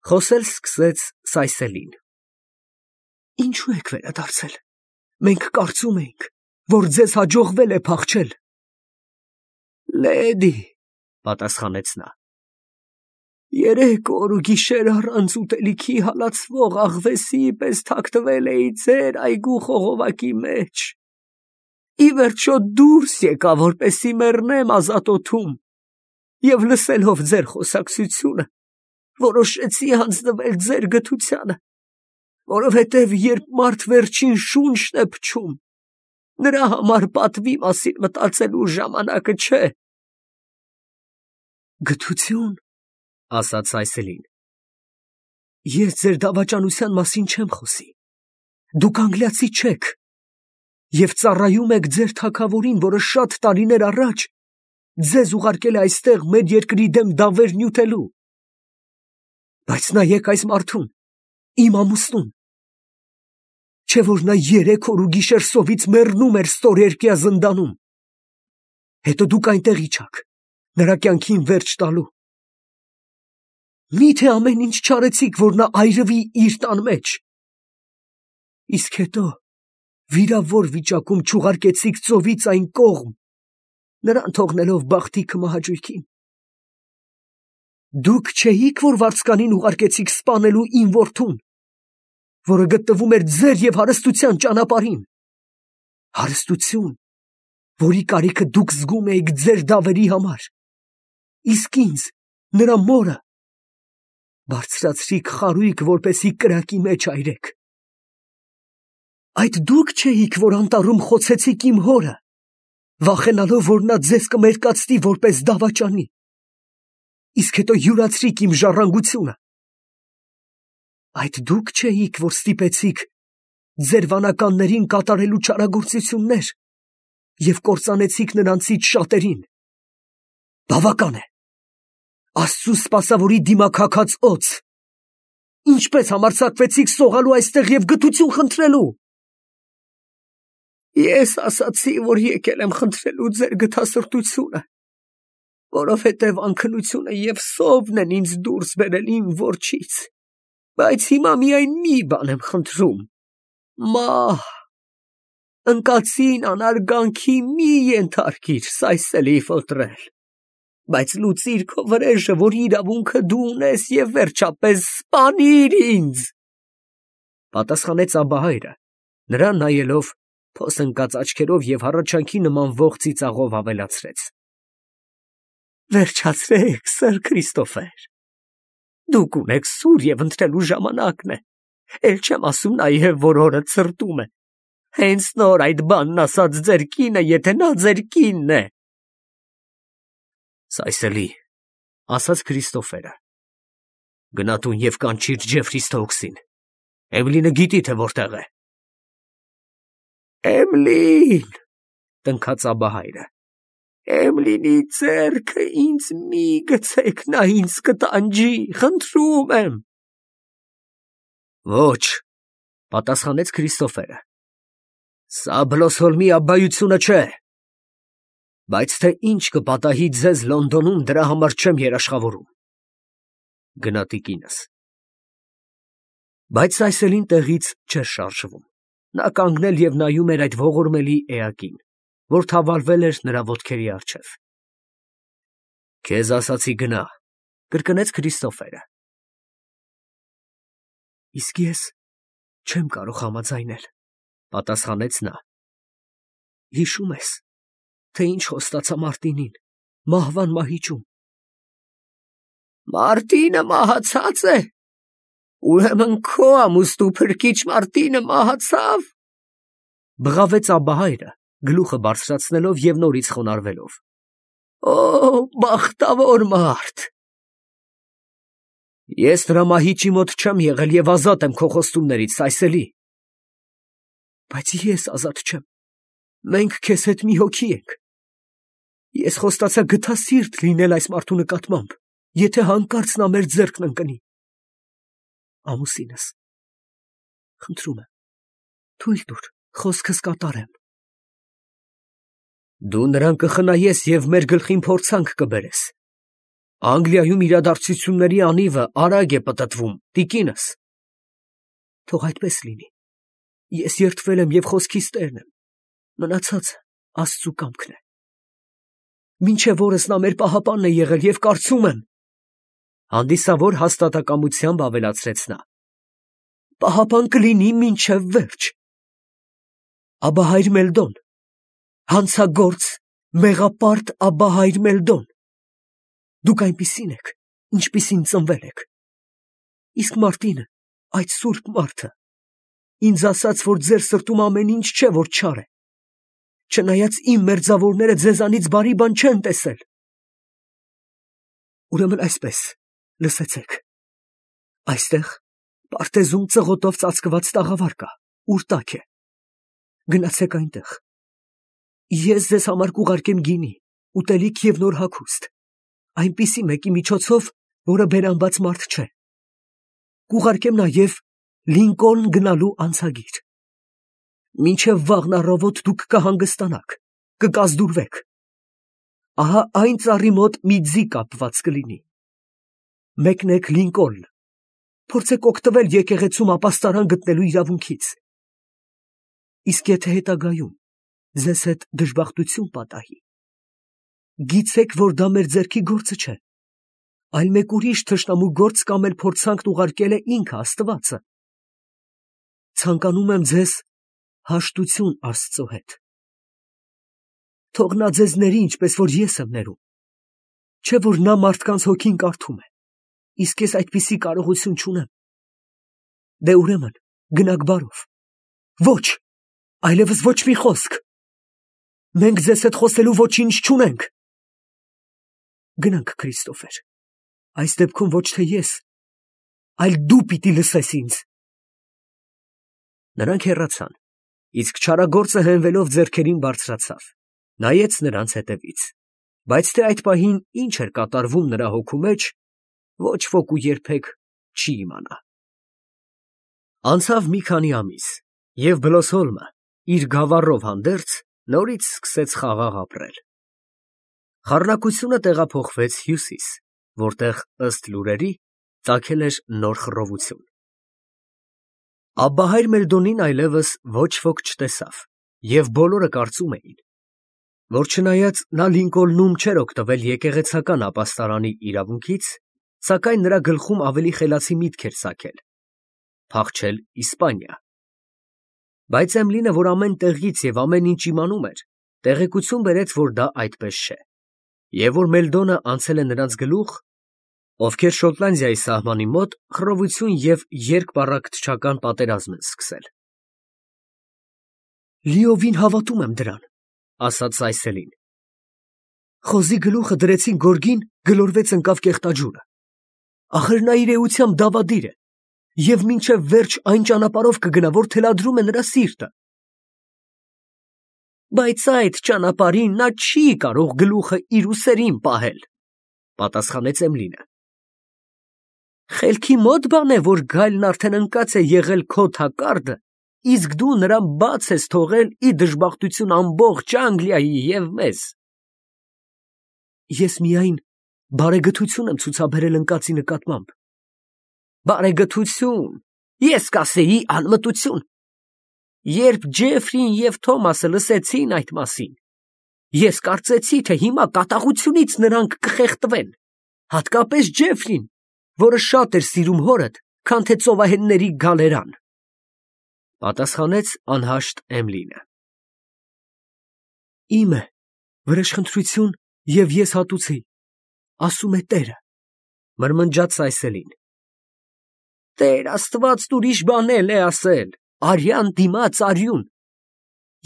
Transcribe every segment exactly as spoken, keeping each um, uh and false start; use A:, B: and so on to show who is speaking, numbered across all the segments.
A: Խոսել սկսեց Սայսելին։ Ինչու եք վերադարձել։ Մենք կարծում էինք, որ ձեզ հաջողվել է փախչել։ Լեդի, պատասխանեց նա։ Երեք օր ու գիշեր առանց ուտելիքի հալածվող աղվեսի պես թաքնվել էի ձեր այգու խողովակի մեջ։ Ի վերջո դուրս եկա, որպեսզի մեռնեմ ազատոթում, և լսելով ձեր խոսակցությունը, որոշեցի հանձնվել ձեր գթությանը, որովհետև երբ մարդ վերջին շունչն է փչում, նրա համար պատվի մասին մտածելու ժամանակը չէ։ Գթություն, ասաց Սայսելին, ես ձեր դավաճանության մասին չեմ խոսի, դուք անգլիացի չեք և ծառայում եք ձեր թագավորին, որը շատ տարիներ առաջ ձեզ ուղարկել է այստեղ մեր երկրի դեմ դավեր նյութելու։ Բայց նայեք այս մարդուն, իմ ամուսնուն, չէ՞ որ նա երեք օր ու գիշեր սովից մեռնում էր ստորերկյա զնդանում, հետո դուք այնտեղ իջաք, նրա կյանքին վերջ տալու։ Մի՞թե ամեն ինչ չարեցիք, որ նա այրվի իր տան մեջ։ Իսկ հետո վիրավոր վիճակում չուղարկեցիք ծովից այն կողմ, նրան թողնելով բախտի քմահաճույքին։ Դուք չէիք, որ վարձկանին ուղարկեցիք սպանելու իմ որդուն, որը գտնվում էր ձեր և հարստության ճանապարհին, հարստություն, որի կարիքը դուք զգում էիք ձեր դավերի համար, իսկ ինձ, նրա մորը, բարձրացրիք խարույկ, որպեսզի կրակի մեջ այրեք։ Այդ դուք չէիք, որ անտառում խոցեցիք իմ հորը, վախենալով, որ նա ձեզ կմերկացնի որպես դավաճանի, իսկ հետո յուրացրիք իմ ժառանգությունը։ Այդ դուք չէիք, որ ստիպեցիք ձեր վանականներին կատարելու չարագործություններ և կործանեցիք նրանցից շատերին։ Բավական է։ Աստծու սպասավորի դիմաքաքած օձ, ինչպես համարձակվեցիք սողալու այստեղ և գթություն խնդրելու։ Ես ասացի, որ եկել եմ խնդրելու ձեր գթասրտությունը, որովհետև անքնությունը և սովն են ինձ դուրս բերել իմ որջից, բայց հիմա միայն մի բան եմ խնդրում. մահ, ընկածին անարգանքի մի ենթարկիր Սայսելի ֆոտրել, բայց լուծիր քո վրեժը, որ իրավունքը դու ունես, և վերջապես սպանիր ինձ, պատասխանեց Աբահայրը, նրան նայելով փոս ընկած աչքերով և հառաչանքի նման ողջ ծիծաղով ավելացրեց. Վերջացրեք, սըր Քրիստոֆեր, դուք ունեք սուր և ընտրելու ժամանակն է, էլ չեմ ասում նաև, որ օրդ սրտում է, հենց նոր այդ բանն ասաց ձեր կինը, եթե նա ձեր կինն է։ Սայսելի, ասաց Քրիստոֆերը, գնա տուն և կանչիր Ջեֆրի Սթոուքսին, Էվլինը գիտի, թե որտեղ է։ Էմլին, տնքաց Աբահայրը, Էմլինի ձեռքը ինձ մի գցեք, նա ինձ կտանջի, խնդրում եմ։ Ոչ, պատասխանեց Քրիստոֆերը, սա Բլոսհոլմի աբբայությունը չէ, բայց թե ինչ կպատահի ձեզ Լոնդոնում, դրա համար չեմ երաշխավորում։ Գնա տիկինս։ Բայց Սայսելին տեղից չէր շարժվում, նա կանգնել և նայում էր այդ ողորմելի էակին, որ թավալվել էր նրա ոտքերի առջև։ Քեզ ասացի գնա, կրկնեց Քրիստոֆերը։ Իսկ ես չեմ կարող համաձայնել, պատասխանեց նա։ Հիշում ես, թե ինչ խոստացա Մարտինին, մահվան մահիճում։ Մարտինը մահացած է, ուրեմն քո ամուսնու փրկիչ Մարտինը մահացավ, բղավեց Աբահայրը, գլուխը բարձրացնելով և նորից խոնարհվելով։ Օ, բախտավոր մարդ։ Ես նրա մահիճի մոտ չեմ եղել և ազատ եմ քո խոստումներից, Սայսելի։ Բայց ես ազատ չեմ, մենք քեզ հետ մի հոգի ենք։ Ես խոստացա գթասիրտ լինել այս մարդու նկատմամբ, եթե հանկարծ նա մեր ձեռքն ընկնի։ Ամուսինս, խնդրում եմ, թույլ տուր խոսքս կատարեմ։ Դու նրան կխնայես և մեր գլխին փորձանք կբերես, Անգլիայում իրադարձությունների անիվը արագ է պտտվում, տիկինս։ Թող այդպես լինի։ Ես երդվել եմ և խոսքիս տերն եմ, մնացածը Աստծու կամքն է։ Մինչև օրս նա մեր պահապանն է եղել և կարծում եմ, հանդիսավոր հաստատակամությամբ ավելացրեց նա, պահապան կլինի մինչև վերջ։ Աբահայր Մելդոն, հանցագործ, մեղապարտ Աբահայր Մելդոն, դուք այնպիսին եք, ինչպիսին ծնվել եք։ Իսկ Մարտինը, այդ սուրբ մարդը, ինձ ասաց, որ ձեր սրտում ամեն ինչ չէ, որ չար է, չնայած իմ մերձավորները ձեզանից բարի բան չեն տեսել։ Ուրեմն այսպես, լսեցեք. այստեղ պարտեզում ծղոտով ծածկված տաղավար կա, ուր տաք է։ Գնացեք այնտեղ։ Ես ձեզ համար կուղարկեմ գինի, ուտելիք և նոր հագուստ, այնպիսի մեկի միջոցով, որը բերանբաց մարդ չէ։ Կուղարկեմ նաև Լինկոլն գնալու անցագիր։ Մինչև վաղն առավոտ դուք կհանգստանաք, կկազդուրվեք։ Ահա այն ծառի մոտ մի ձի կապված կլինի։ Մեկնեք Լինկոլն, փորձեք օգտվել եկեղեցում ապաստարան գտնելու իրավունքից։ Իսկ եթե հետագայում ձեզ հետ դժբախտություն պատահի, գիտեք, որ դա մեր ձեռքի գործը չէ, այլ մեկ ուրիշ թշնամու գործ կամ էլ փորձանքն ուղարկել է ինքը Աստվածը։ Ցանկանում եմ ձեզ հաշտություն Աստծո հետ։ Թող նա ձեզ ների, ինչպես որ ես եմ ներում, չէ որ նա մարդկանց հոգին կարդում է, իսկ ես այդպիսի կարողություն չունեմ։ Դե ուրեմն գնաք բարով։ Ոչ, այլևս ոչ մի խոսք։ Մենք ձեզ հետ խոսելու ոչինչ չունենք։ Գնանք, Քրիստոֆեր, այս դեպքում ոչ թե ես, այլ դու պիտի լսես ինձ։ Նրանք հեռացան, իսկ չարագործը հենվելով ձեռքերին բարձրացավ, նայեց նրանց հետևից, բայց թե այդ պահին ինչ էր կատարվում նրա հոգու մեջ, ոչ ոք ու երբեք չի իմանա։ Անցավ մի քանի ամիս, և Բլոսհոլմը իր գավառով հանդերձ նորից սկսեց խաղաղ ապրել։ Խառնակությունը տեղափոխվեց հյուսիս, որտեղ, ըստ լուրերի, ծագել էր նոր խռովություն։ Աբբահայր Մելդոնին այլևս ոչ ոք չտեսավ, և բոլորը կարծում էին, որ չնայած նա Լինկոլնում չէր օգտվել եկեղեցական ապաստարանի իրավունքից, սակայն նրա գլխում ավելի խելացի միտք էր ծագել՝ փախչել Իսպանիա։ Բայց Էմլինը, որ ամեն տեղից և ամեն ինչ իմանում էր, տեղեկություն բերեց, որ դա այդպես չէ, և որ Մելդոնը անցել է նրանց գլուխ, ովքեր Շոտլանդիայի սահմանի մոտ խռովություն և երկպառակտչական պատերազմ են սկսել։ Լիովին հավատում եմ դրան, ասաց Սայսելին։ Խոզի գլուխը դրեցին գորգին, գլորվեց ընկավ կեղտաջուրը։ Ախր նա իր էությամբ դավադիր է, և մինչև վերջ այն ճանապարհով կգնա, որ թելադրում է նրա սիրտը։ Բայց այդ ճանապարհին նա չի կարող գլուխը իր ուսերին պահել, պատասխանեց Էմլինը։ Խելքի մոտ բան է, որ գայլն արդեն ընկած է եղել քո թակարդը, իսկ դու նրան բաց ես թողել ի դժբախտություն ամբողջ Անգլիայի և մեզ։ Ես միայն բարեգթություն եմ ցուցաբերել ընկածի նկատմամբ։ Բարեգթություն, ես կասեի անմտություն։ Երբ Ջեֆրին և Թոմասը լսեցին այդ մասին, ես կարծեցի, թե հիմա կատաղությունից նրանք կխեղդվեն, հատկապես Ջեֆրին, որը շատ էր սիրում հորդ, քան թե ծովահենների գալերան, պատասխանեց անհաշտ Էմլինը։ Իմ է, վրեժխնդրություն և ես հատուցի, ասում է Տերը, մրմնջաց Սայսելին։ Տեր Աստվածն ուրիշ բան էլ է ասել, արյան դիմաց արյուն։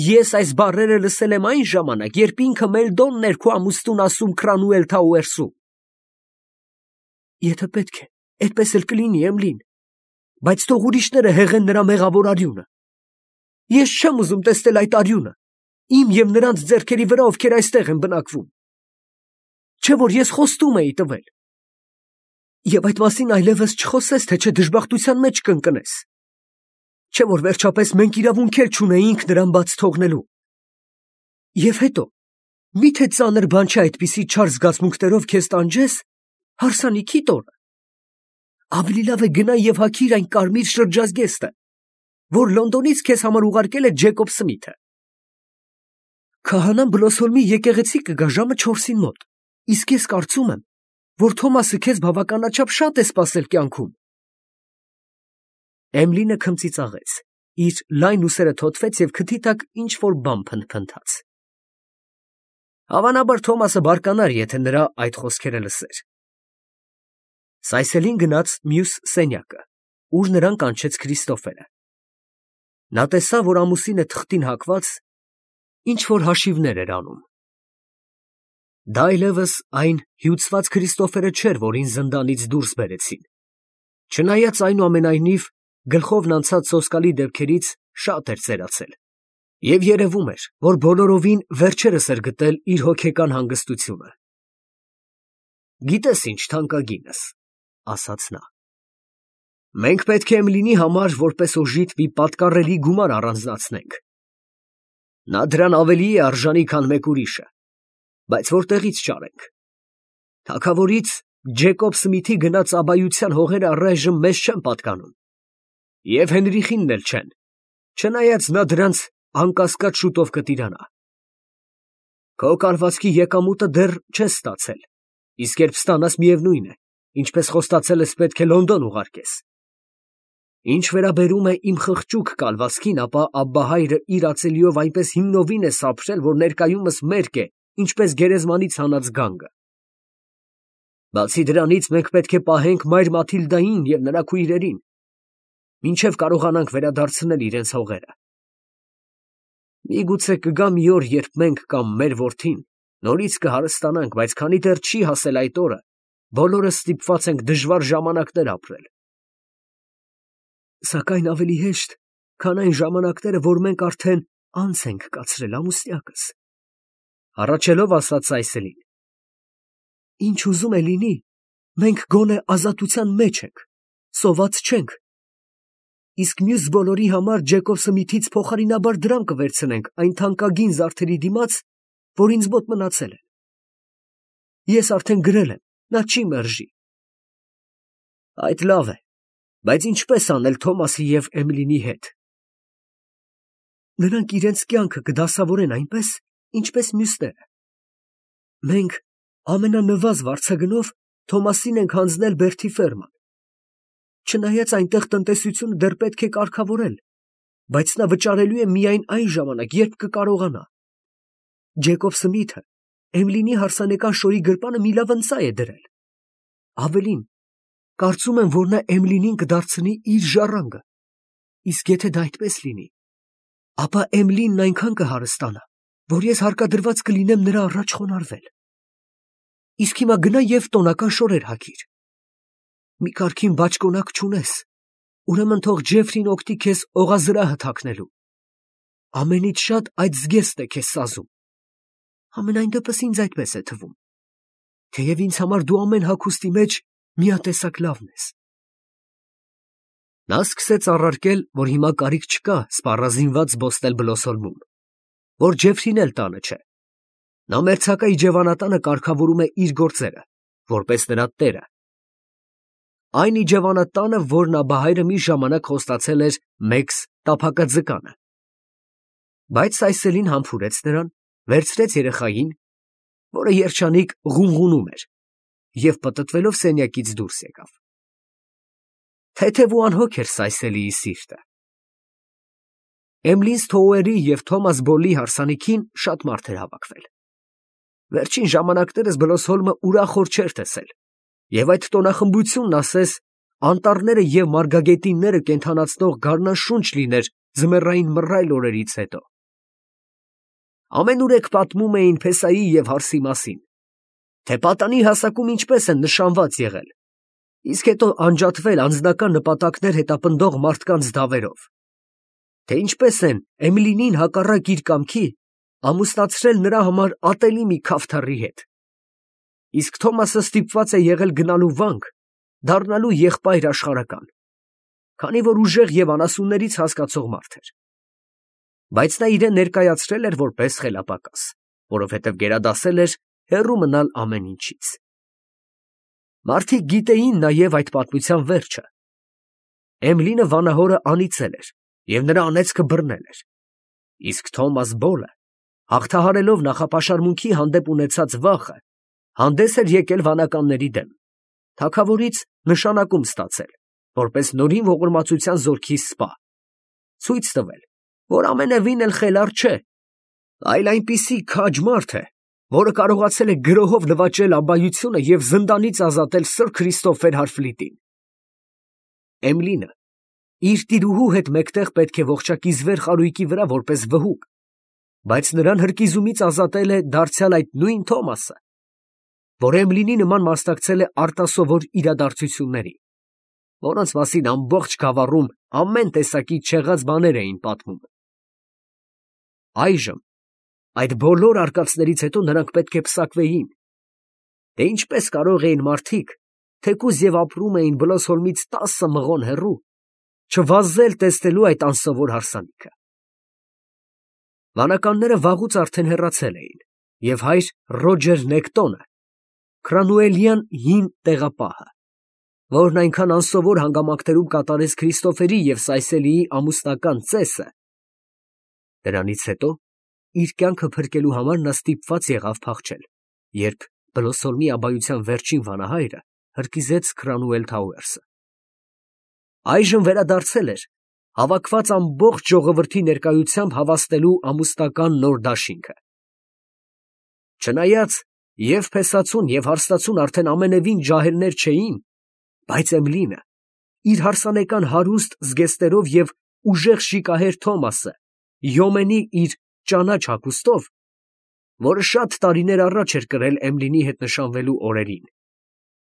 A: Ես այս բառերը լսել եմ այն ժամանակ, երբ ինքը Մելդոնն էր քո ամուսնուն ասում Քրանուել Թաուերսում։ Եթե պետք է, այդպես էլ կլինի, Էմլին, բայց թող ուրիշները հեղեն նրա մեղավոր արյունը։ Ես չեմ ուզում տեսնել այդ արյունը, իմ և նրանց ձեռքերի վրա, ովքեր այստեղ են բնակվում։ Չէ՞ որ ես խոստում էի տվել։ Եվ այդ մասին այլևս չխոսես, թե չէ դժբախտության մեջ կընկնես։ Չէ՞ որ վերջապես մենք իրավունք էլ չունեինք նրան բաց թողնելու։ Եվ հետո, մի՞թե ծանր բան չէ այդպիսի չար զգացմունքներով քեզ տանջես հարսանիքի տորը։ Ավելի լավ է գնա եւ հագիր այն կարմիր շրջազգեստը, որ Լոնդոնից քեզ համար ուղարկել է Ջեկոբ Սմիթը։ Քահանան Բլոսոլմի եկեղեցի կգա ժամը չորսին մոտ, իսկ ես կարծում եմ, որ Թոմասը քեզ բավականաչափ շատ է սպասել կյանքում։ Էմլինը քմծիծաղեց, իր լայն ուսերը թոթվեց եւ քթի տակ ինչ որ բան փնթփնթաց։ Հավանաբար Թոմասը բարկանար, եթե նրա այդ խոսքերը լսեր։ Սայսելին գնաց մյուս սենյակը, ուր նրան կանչեց Քրիստոֆերը։ Նա տեսավ, որ ամուսինը թղթին հակված ինչ որ հաշիվներ էր անում։ Դա այլևս այն հյուծված Քրիստոֆերը չէր, որին զնդանից դուրս բերեցին, չնայած այնուամենայնիվ գլխովն անցած սոսկալի դեպքերից շատ էր ծերացել, և երևում էր, որ բոլորովին վերջերս էր գտել իր հոգեկան հանգստությունը։ «Գիտես ինչ, թանկագինս, ֊ ասաց նա, ֊ մենք պետք է Էմիլիի համար որպես օժիտ մի պատկառելի գումար առանձնացնենք։ Նա դրան ավելի է արժանի, քան մեկ ուրիշը, բայց որտեղից ճարենք։ Թագավորից Ջեկոբ Սմիթի գնած աբայության հողերը առայժմ մեզ չեն պատկանում, և Հենրիխինն էլ չեն, չնայած նա դրանց անկասկած շուտով կտիրանա։ Քո կալվածքի եկամուտը դեռ չես ստացել, իսկ երբ ստանաս, միևնույն է, ինչպես խոստացել ես, պետք է Լոնդոն ուղարկես։ Ինչ վերաբերում է իմ խղճուկ կալվածքին, ապա Աբբահայրը իր ածելիով այնպես հիմնովին է սափրել, որ ներկայումս մերկ է, ինչպես գերեզմանից հանած գանգը։ Բացի դրանից, մենք պետք է պահենք մայր Մաթիլդային և նրա քույրերին, մինչև կարողանանք վերադարձնել իրենց հողերը։ Միգուցե կգա մի օր, երբ մենք կամ մեր որդին նորից կհարստանանք, բայց քանի դեռ չի հասել այդ օրը, բոլորս ստիպված ենք դժվար ժամանակներ ապրել։ Սակայն ավելի հեշտ, քան այն ժամանակները, որ մենք արդեն անց ենք կացրել, ամուսնյակս, ֊ հառաչելով ասաց Սայսելին։ Ինչ ուզում է լինի, մենք գոնե ազատության մեջ ենք, սոված չենք, իսկ մյուս բոլորի համար Ջեկոբ Սմիթից փոխարինաբար դրամ կվերցնենք այն թանկագին զարդերի դիմաց, որ ինձ մոտ մնացել են։ Ես արդեն գրել եմ, նա չի մերժի։ Այդ լավ է, բայց ինչպես անել Թոմասի և Էմիլիի հետ։ Նրանք իրենց կյանքը կդասավորեն այնպես, ինչպես մյուսները։ Մենք ամենանվազ վարձագնով Թոմասին ենք հանձնել Բերթի ֆերման։ Չնայած այնտեղ տնտեսությունը դեռ պետք է կարգավորել, բայց նա վճարելու է միայն այն ժամանակ, երբ կկարողանա։ Ջեկոբ Սմիթը Էմիլիի հարսանեկան շորի գրպանը մի լավ ընծայ է դրել։ Ավելին, կարծում եմ, որ նա Էմիլիին կդարձնի իր ժառանգը, իսկ եթե դա այդպես լինի, ապա Էմիլին այնքան կհարստանա, որ ես հարկադրված կլինեմ նրա առաջ խոնարհվել։ Իսկ հիմա գնա և տոնական շորեր հագիր։ Մի կարգին բաճկոնակ չունես, ուրեմն թող Ջեֆրին օգնի քեզ օղազրահը թաքնելու։ Ամենից շատ այդ զգեստն է քեզ սազում։ Համենայն դեպս ինձ այդպես է թվում, թեև ինձ համար դու ամեն հագուստի մեջ միատեսակ լավն ես։ Նա սկսեց առարկել, որ հիմա կարիք չկա սպառազինված զբոսնել Բլոսոլմում, որ Ջեֆրին էլ տանը չէ։ Նա մերձակա իջևանատանը կարգավորում է իր գործերը, որպես նրա տերը։ Այն իջևանատանը, որն Աբբահայրը մի ժամանակ խոստացել էր Մեքս տափակաձկանը։ Բայց Սայսելին համբուրեց նրան, վերցրեց երեխային, որը երջանիկ ղունղունում էր, և պտտվելով սենյակից դուրս եկավ։ Թեթև ու անհոգ էր Սայսելիի սիրտը։ Էմլին Սթոուերի և Թոմաս Բոլլի հարսանիքին շատ մարդ էր հավաքվել։ Վերջին ժամանակներս Բլոսհոլմը ուրախոր չէր տեսել, և այդ տոնախմբությունն ասես անտառները և մարգագետինները կենդանացնող գարնանշունչ լիներ ձմեռային մռայլ օրերից հետո։ Ամենուրեք պատմում էին փեսայի և հարսի մասին, թե պատանի հասակում ինչպես են նշանված եղել, իսկ հետո անջատվել անձնական նպատակներ հետապնդող մարդկանց դավերով, թե ինչպես են Էմիլիին հակառակ իր կամքի ամուսնացրել նրա համար ատելի մի քավթառի հետ, իսկ Թոմասը ստիպված է եղել գնալու վանք, դառնալու եղբայր աշխարհական, քանի որ ուժեղ և անասուններից հասկացող մարդ էր։ Բայց նա իրեն ներկայացրել էր որպես խելապակաս, որովհետև գերադասել էր հեռու մնալ ամեն ինչից։ Մարդիկ գիտեին նաև այդ պատմության վերջը։ Էմլինը վանահորը անիծել էր և նրա անեծքը բռնել էր, իսկ Թոմաս Բոլը, հաղթահարելով նախապաշարմունքի հանդեպ ունեցած վախը, հանդես էր եկել վանականների դեմ, թագավորից նշանակում ստացել, որպես նորին ողորմածության զորքի սպա, ցույց տվել, որ ամենևին էլ խելառ չէ, այլ այնպիսի քաջ մարդ է, որը կարողացել է գրոհով նվաճել ամբայությունը և զնդանից ազատել սըր Քրիստոֆեր Հարֆլիտին։ Էմլինը իր տիրուհու հետ մեկտեղ պետք է ողջակիզվեր խարույկի վրա որպես վհուկ, բայց նրան հրկիզումից ազատել է դարձյալ այդ նույն Թոմասը, որ Էմլինի նման մասնակցել է արտասովոր իրադարձությունների, որոնց մասին ամբողջ գավառում ամեն տեսակի չեղած բաներ էին պատմում։ Այժմ այդ բոլոր արկածներից հետո նրանք պետք է պսակվեին, թե ինչպես կարող էին մարդիկ, թեկուզ և ապրում էին Բլոսհոլմից տասը մղոն հեռու, չվազել տեսնելու այդ անսովոր հարսանիքը։ Վանականները վաղուց արդեն հեռացել էին, և հայր Ռոջեր Նեկտոնը, Քրանուելյան հին տեղապահը, որն այնքան անսովոր հանգամանքներում կատարեց Քրիստոֆերի և Սայսելիի ամուսնական ծեսը, դրանից հետո իր կյանքը փրկելու համար նա ստիպված եղավ փախչել, երբ Բլոսհոլմի աբայության վերջին վանահայրը հրկիզեց Քրանուել Թաուերսը։ Այժմ վերադարձել էր հավաքված ամբողջ ժողովրդի ներկայությամբ հավաստելու ամուսնական նոր դաշինքը։ Չնայած և փեսացուն և հարստացուն արդեն ամենևին ջահելներ չէին, բայց Էմլինը իր հարսանեկան հարուստ զգեստերով և ուժեղ շիկահեր Թոմասը յոմենի իր ճանաչ հագուստով, որը շատ տարիներ առաջ էր կրել Էմլինի հետ նշանվելու օրերին,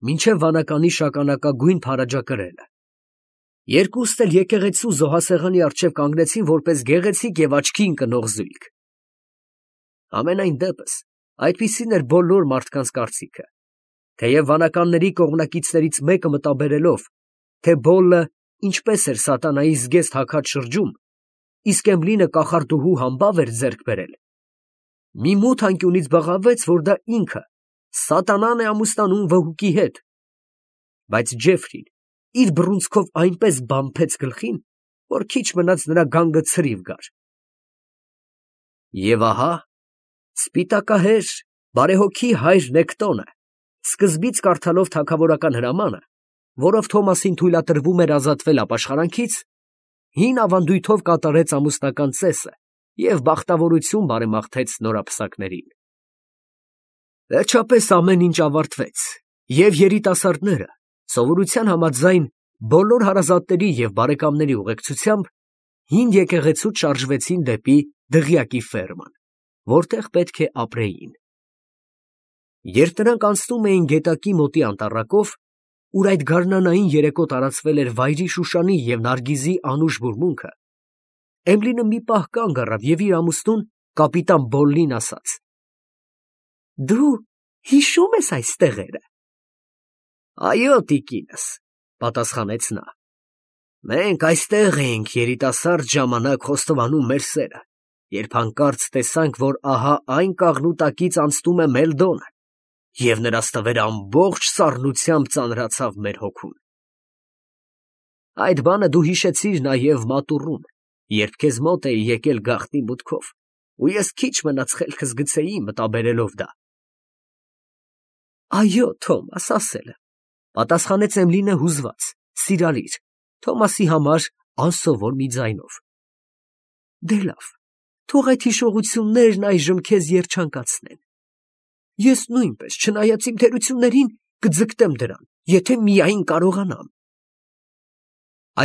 A: մինչև վանականի շագանակագույն փարաջակրելը, երկուստ էլ եկեղեցու զոհասեղանի առջև կանգնեցին որպես գեղեցիկ և աչքի ընկնող զույգ։ Համենայն դեպս այդպիսին էր բոլոր մարդկանց կարծիքը, թեև վանականների կողմնակիցներից մեկը մտաբերելով, թե Բոլլը ինչպես էր սատանայի զգեստ հագած շրջում, իսկ Էմլինը կախարդուհու համբավ էր ձեռք բերել, մի մութ անկյունից բղավեց, որ դա ինքը սատանան է ամուսնանում վհուկի հետ, բայց Ջեֆրին իր բռունցքով այնպես բամփեց գլխին, որ քիչ մնաց նրա գանգը ցրիվ գար։ Եվ ահա սպիտակահեր, բարեհոգի հայր Նեկտոնը, սկզբից կարդալով թագավորական հրամանը, որով Թոմասին թույլատրվում էր ազատվել ապաշխարանքից, հին ավանդույթով կատարեց ամուսնական ծեսը և բախտավորություն բարեմաղթեց նորապսակներին։ Վերջապես ամեն ինչ ավարտվեց, և երիտասարդները, սովորության համաձայն, բոլոր հարազատների և բարեկամների ուղեկցությամբ, հին եկեղեցուց շարժվեցին դեպի դղյակի ֆերման, որտեղ պետք է ապրեին։ Երբ նրանք անցնում էին գետակի մոտի անտառակով, ուր այդ գարնանային երեկո տարածվել էր վայրի Շուշանի և Նարգիզի անուշ բուրմունքը, Էմլինը մի պահ կանգ առավ և իր ամուսնուն, կապիտան Բոլլին ասաց. «Դու հիշո՞ւմ ես այս տեղերը»։ «Այո, տիկինս», պատասխանեց նա, «մենք այստեղ էինք երիտասարդ ժամանակ խոստովանում մեր սերը, երբ հանկարծ տեսանք, որ ահա այն կաղնուտակից անցնում է Մելդոնը, և նրա ստվերը ամբողջ սառնությամբ ծանրացավ մեր հոգուն։ Այդ բանը դու հիշեցիր նաև մատուռում, երբ քեզ մոտ էի եկել գաղտնի մուտքով, ու ես քիչ մնաց խելքս գցեի մտաբերելով դա»։ «Այո, Թոմաս, ասել եմ», պատասխանեց Էմլինը հուզված, սիրալիր, Թոմասի համար անսովոր մի ձայնով։ «Դե լավ, թող այդ հիշողություններն այժմ քեզ երջանկացնեն։ Ես նույնպես, չնայած իմ թերություններին, կձգտեմ դրան, եթե միայն կարողանամ»։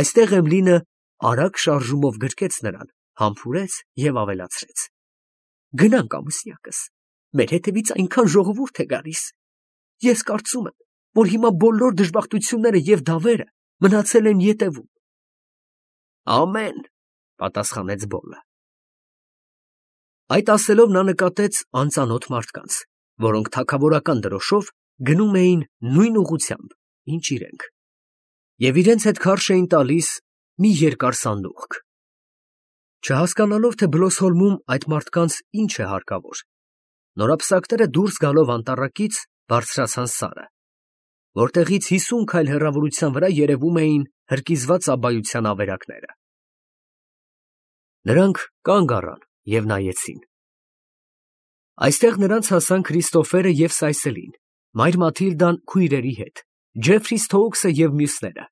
A: Այստեղ Էմլինը արագ շարժումով գրկեց նրան, համբուրեց և ավելացրեց. «Գնանք, ամուսնյակս, մեր հետևից այնքան ժողովուրդ է գալիս, ես կարծում եմ, որ հիմա բոլոր դժբախտությունները և դավերը մնացել են ետևում»։ «Ամեն», պատասխանեց Բոլլը։ Այդ ասելով նա նկատեց անծանոթ մարդկանց, որոնք թագավորական դրոշով գնում էին նույն ուղղությամբ, ինչ իրենք, և իրենց հետ քարշ էին տալիս մի երկար սանդուղք։ Չհասկանալով, թե Բլոսհոլմում այդ մարդկանց ինչ է հարկավոր, նորապսակները դուրս գալով անտառակից բարձրացան սարը, որտեղից հիսուն քայլ հեռավորության վրա երևում էին հրկիզված աբայության ավերակները։ Նրանք կանգ առան և նայեցին։ Այստեղ նրանց հասան Քրիստոֆերը և Սայսելին, մայր Մաթիլդան քույրերի հետ, Ջեֆրի Սթոուքսը և մյուսները։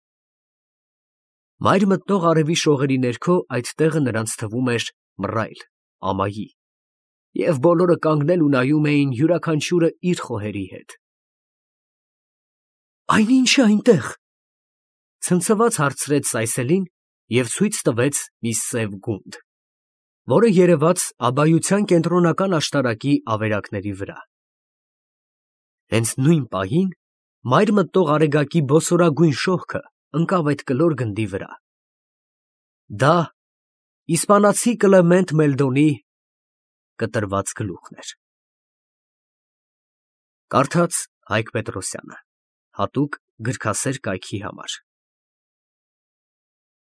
A: Մայր մտնող արևի շողերի ներքո այդ տեղը նրանց թվում էր մռայլ, ամայի, և բոլորը կանգնել ու նայում էին յուրաքանչյուրը իր խոհերի հետ։ «Այն ի՞նչ է այնտեղ», ֊ ցնցված հարցրեց Սայսելին և ցույց տվեց մի սև գունդ, որը երևաց աբայության կենտրոնական աշտարակի ավերակների վրա։ Հենց նույն պահին մայր մտնող արեգակի բոսորագույն շողքը ընկավ այդ կլոր գնդի վրա։ Դա իսպանացի Կլեմենտ Մելդոնի կտրված գլուխն էր։ Կարդաց Հայկ Պետրոսյանը, հատուկ գրքասեր կայքի համար։